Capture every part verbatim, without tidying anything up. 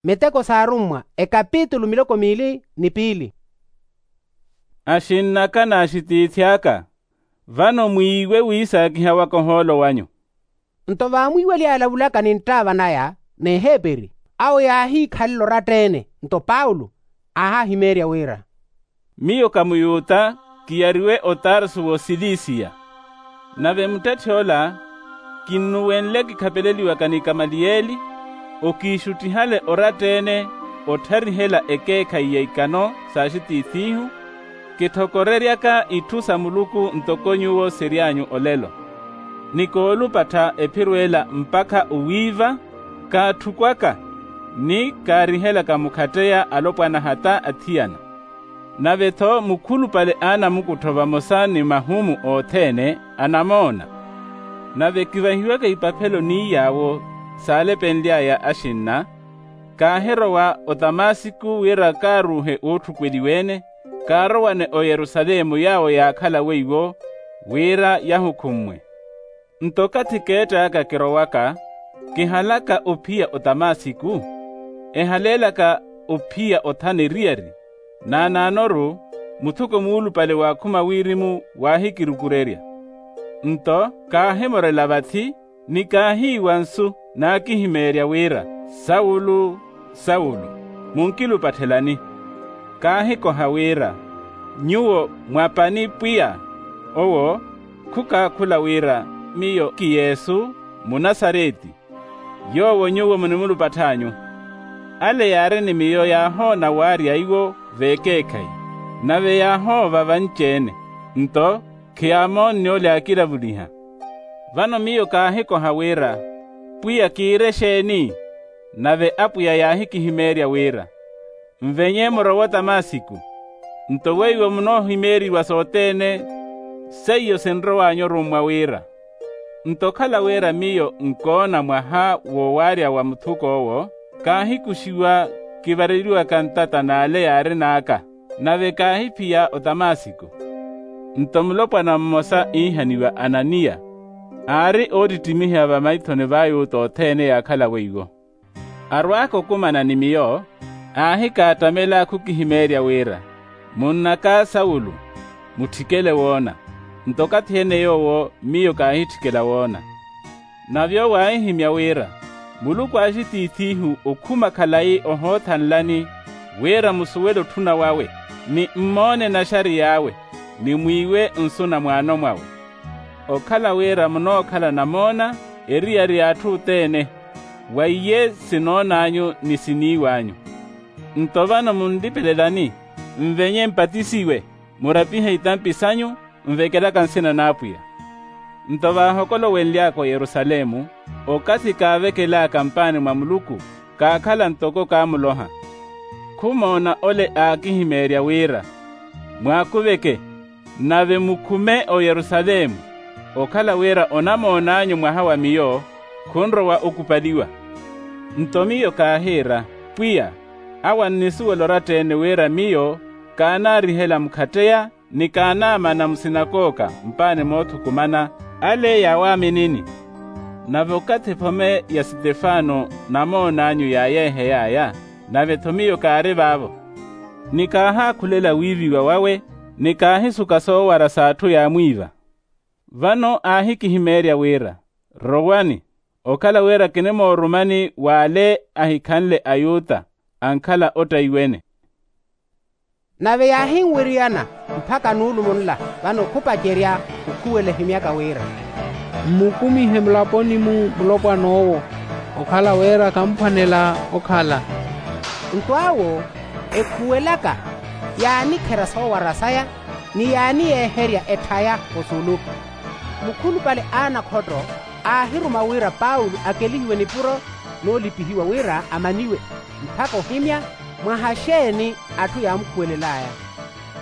Miteko s'arummwa, ekapitulu miloko miili ni piili. Axinn'aka n'axitiithi aka, vano mwiiwe wi saakihawaka ohoolo wanyu. Nto vaamwiiweliye alavulaka ni nttaava naya n'eheperi, awo yaahiikhalela oratta-ene. Nto paulo aahahimeerya wira, miyo ka muyuta, kiyariwe otarsu w'osilisiya. Nave muttetthi ola kinnuwenle kikhapeleliwaka ni kamaliyeli, okiixuttihale oratta-ene ottharihela ekeekhayi ya ikano s'axitiith'ihu, kithokoreryaka itthu sa muluku ntoko nyuwo siry'anyu olelo. Ni koolupattha ephiro ela mpakha owiiva, kaatthukwaka ni kaarihelaka mukhatteya alopwana hata athiyana. Nave-tho mukhulupale a anamukuttho vamosa ni mahumu othene anamoona. Nave kivahiwaka ipaphelo n'iy'awo saalepenly'aya axinna, kaahirowa otamasiku wira kaaruuhe wootthukweliwa-ene, kaarowane oyerusalemu yaawo yaakhala weiwo, wira yahukhummwe. Nto okathi keett'aka kirowaka, kihalaka ophiya otamasiku, ehaleelaka ophiya othana eriyari, naanaano-ru muthuko muulupale waakhuma wirimu waahikirukurerya. Nto kaahimorela vathi, ni kaahiiwa nsu, naakihimeerya wira, saulo, saulo, munkilupatthelani? Kaahikoha wira, nyuwo mwa pani pwiya? Owo khukaakhula wira, miyo ki yesu, munasareti, yoowo nyuwo munimulupatthanyu. Ale yaari ni miyo yaahoona waarya iwo veekeekhayi, nave yaahoova vanci-ene, nto khiyaamoonne ole aakilavuliha. Vano miyo kaahikoha wira, pwiya kiire exeeni? Nave apwiya yaahikihimeerya wira, nvenye murowe otamasiku, nto weiwo munoohimeeriwa sothene seiyo sinrow'anyu orummwa wira. Nto okhala wira miyo nkoona mwaha w'owaarya wa muthuk'owo, kaahikuxiwa kivareliwaka ntata n'ale yaarin'aka, nave kaahiphiya otamasiku. Nto mulopwana mmosa iihaniwa ananiya, aari oottittimihiwa vamaithoni v'ayuta othene yaakhala weiwo. Arwaaka okumana ni miyo, aahikaattamela khukihimeerya wira, munn'aka saulo, mutthikele woona. Nto okathi-ene yoowo miyo kaahitthikela woona. Nave owo aahihimya wira, muluku a axitiith'ihu okhuma khalayi ohoothanlani, wira musuwele otthuna wawe, ni mmoone naxari y'awe, ni mwiiwe nsu na mwaano mwawe. Okhala wira munookhala namoona eriyari y'atthu othene, wa iye sinoon'anyu ni siniiw'anyu. Nto vano munlipelelani, nvenye mpatisiwe, murapihe itampi sanyu, nvekelaka nsina n'apwiya. Nto vaahokolowenly'aka oyerusalemu, okathi kaavekel'aka mpaani mwa muluku, kaakhala ntoko kaamuloha. Khumoona ole aakihimeerya wira, mwaakuveke, nave mukhume oyerusalemu, okhala wira onamoon'anyu mwaha wa miyo, khunrowa okupaliwa. Nto miyo kaahiira, pwiya, awo annisuwela oratta-ene wira miyo kaanaarihela mukhatteya, ni kaanaamana musinakooka mpaani moothukumana, ale yaawaaminini. Nave okathi ephome ya sitefano namoon'anyu yaayeehey'aya, nave-tho miyo kaari vaavo, ni kaahaakhulela wiiviwa wawe, ni kaahisuka soowara s'atthu yaamwiiva. Vano aahikihimeerya wira, rowani, okhala wira kinimoorumani w'ale ahikhanle ayuta, ankhala ottayiwene. Nave yaahinwiriyana mpakha nuulumo nla, vano khupacerya okhuwela ehimyaka wira, mmukumihe mulaponi-mu mulopwan'owo, okhala wira khamphwanela okhala. Nto awo ekhuwelaka, yaanikherya soowara saya, ni yaaniyeeherya etthaya osulu. Mukhulupale a anakhotto aahiruma wira paulo akelihiwe nipuro noolipihiwa wira amaniwe, mpakha ohimya mwaha xeeni atthu yaamukhuwelel'aya.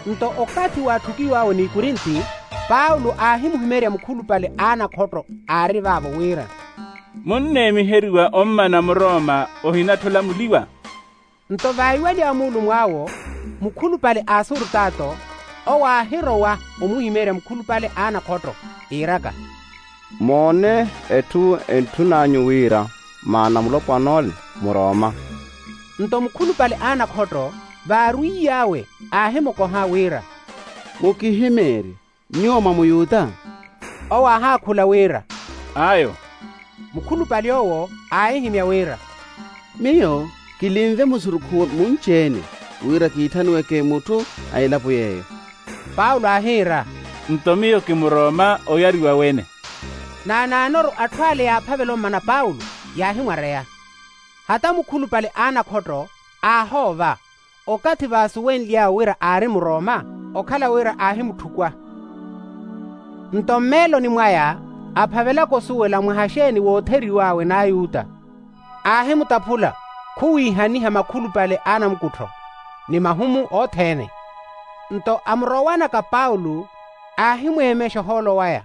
Nto okathi waatthukiw'awe n'ikurinti, paulo aahimuhimeerya mukhulupale a anakhotto aari vaavo wira, munneemiheriwa ommana muroma ohinatthi olamuliwa? Nto vaiweliwa muulumw'awo, mukhulupale a asurutato owo aahirowa omuhimeerya mukhulupale a anakhotto, iiraka, moone etthu entthun'anyu wira maana mulopwan'ole muroma. Nto mukhulupale a anakhotto vaarwiiy'awe aahimukoha wira, mukihimeerye, nyuwo mwa muyuta? Owo aahaakhula wira, ayo. Mukhulupale owo aahihimya wira, miyo kilinve musurukhu munci-ene wira kiitthaniweke mutthu a elapo yeeyo. Paulo aahiira, nto miyo kimuroma oyariwa wene. Naanaanoru atthu ale yaaphavela ommana paulo, yaahimwareya. Hata mukhulupale a anakhotto aahoova, okathi vaasuwenly'awe wira aari muroma, okhala wira aahimutthukw'a. Nto mmeeloni mwaya aphavelaka osuwela mwaha xeeni wootheriw'awe n'ayuta, aahimutaphula khuwiihaniha makhulupale a anamukuttho ni mahumu othene. Nto amurowanaka paulo, aahimweemexa ohoolo waya,